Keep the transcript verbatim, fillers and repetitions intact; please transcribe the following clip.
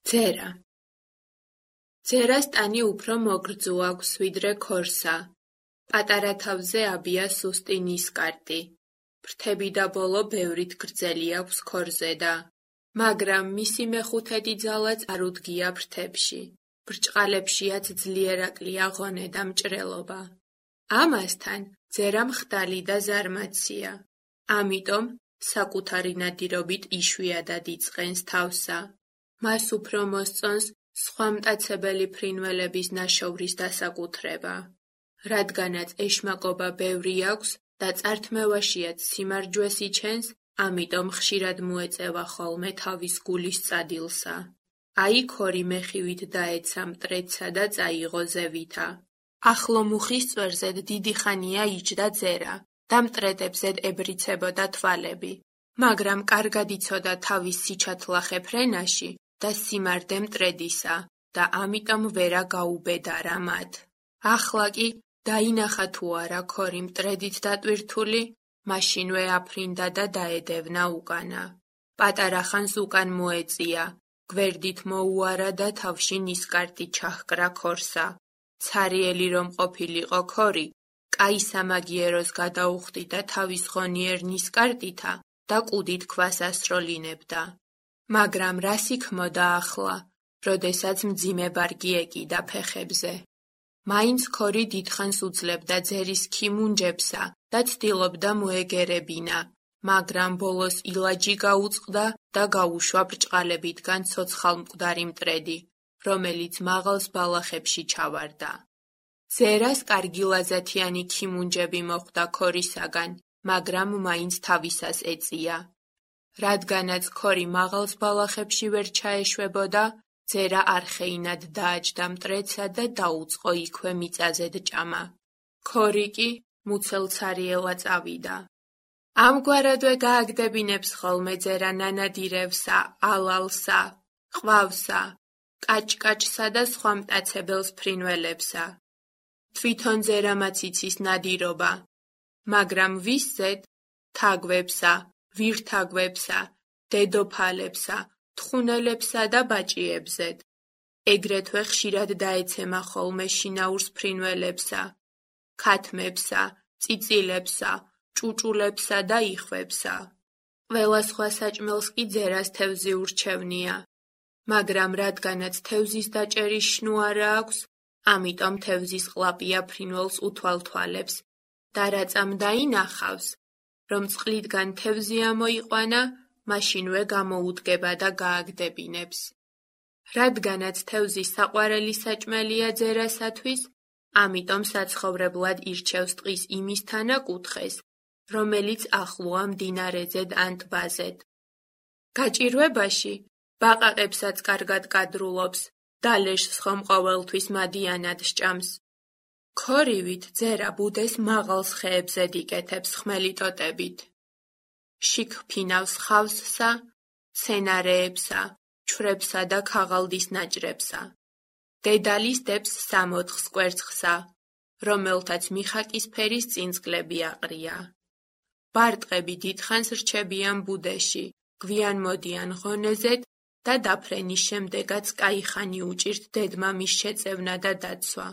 ძერა. ძერას ტანი უფრო მოგრძო აქვს ვიდრე ქორსა. პატარა თავზე აბია სუსტი ნისკარტი. ფრთები და ბოლო ბევრით გრძელი აქვს ქორზე და მაგრამ მისი მეხუთედი ძალა წარუდგია ფრთებში. ბრჭყალებშიაც ძლიერაკლია ღონე და მჭრელობა. ამასთან ძერა მხდალი და ზარმაცია. ამიტომ საკუთარი ნადირობით იშვიათად იწყენს თავსა. მას უფრო მოსწონს სხვა მტაცებელი ფრინველების ნაშოვრის დასაკუთრება. რადგანაც ეშმაკობა ბევრი აქვს და წართმევაშიაც სიმარჯვეს იჩენს, ამიტომ ხშირად მოეწევა ხოლმე თავის გულის წადილსა. აი ქორი მეხივით დაეცა მტრედსა და წაიღო ზევითა. ახლო მუხის წვერზედ დიდი ხანია იჯდა ძერა და მტრედებზედ ებრიცებოდა თვალები, მაგრამ კარგად იცოდა თავის სიჩათლახე ფრენაში და სიმარდე მტრედისა და ამიტომ ვერა გაუბედარა მათ. ახლა კი დაინახა თუ არა ქორი მტრედით დატვირთული, მაშინვე აფრინდა და დაედევნა უკანა. პატარა ხანს უკან მოეწია, გვერდით მოუარა და თავში ნისკარტი ჩაჰკრა ქორსა. ცარიელი რომ ყოფილიყო ქორი, კაი სამაგიეროს გადაუხდიდა თავის ღონიერ ნისკარტითა და კუდით ქვას ასროლინებდა. მაგრამ რას იქმოდა ახლა, როდესაც მძიმე ბარგი ეკიდა ფეხებზე. მაინც ქორი დიდხანს უძლებდა ძერის ქიმუნჯებსა და ცდილობდა მოეგერებინა, მაგრამ ბოლოს ილაჯი გაუწყდა და გაუშვა ბრჭყალებითგან ცოცხალმკვდარი მტრედი, რომელიც მაღალ ბალახებში ჩავარდა. ძერას კარგი ლაზათიანი ქიმუნჯები მოხვდა ქორისაგან, მაგრამ მაინც თავისას ეწია. რადგანაც ქორი მაღალ ბალახებში ვერ ჩაეშვებოდა, ძერა არხეინად დააჯდა მტრედსა და დაუწყო იქვე მიწაზედ ჭამა. ქორი კი მუცელცარიელა წავიდა. ამგვარადვე გააგდებინებს ხოლმე ძერა ნანადირევსა, ალალსა, ყვავსა, კაჭკაჭსა და სხვა მტაცებელს ფრინველებსა. თვითონ ძერამაც იცის ნადირობა, მაგრამ ვისზედ? თაგვებსა, ვირთაგვებსა, დედოფალებსა, თხუნელებსა და ბაჭიებზედ. ეგრეთვე ხშირად დაეცემა ხოლმე შინაურს ფრინველებსა, ქათმებსა, წიწილებსა, ჭუჭულებსა და იხვებსა. ყველა სხვა საჭმელს კი ძერას თევზი ურჩევნია, მაგრამ რადგანაც თევზის დაჭერის შნუ არა აქვს, ამიტომ თევზის ყლაპია ფრინველს უთვალთვალებს და რაწამ დაინახავს, რომ წყლიდგან თევზი ამოიყვანა, მაშინვე გამოუდგება და გააგდებინებს. რადგანაც თევზი საყვარელი საჭმელია ძერასათვის, ამიტომ საცხოვრებლად ირჩევს ტყის იმის თანაკუთხეს, რომელიც ახლოა მდინარეზე ან ტბაზედ. გაჭირვებაში ბაყაყებსაც კარგად კადრულობს, დალეშს ხომ ყოველთვის მადიანად სჭამს. ქორივით ძერა ბუდეს მაღალ ხეებზედ იკეთებს ხმელი ტოტებით. შიგ ფინავს ხავსსა, მცენარეებსა, ჩვრებსა და ქაღალდის ნაჭრებსა. დედალის დებს სამოთხს კვერცხსა, რომელთაც მიხაკის ფერის წინწკლები აყრია. ბარტყები დიდხანს რჩებიან ბუდეში, გვიან მოდიან ღონეზედ და დაფრენის შემდეგაც კაი ხანი უჭირთ დედმამის შეწევნა და დაცვა.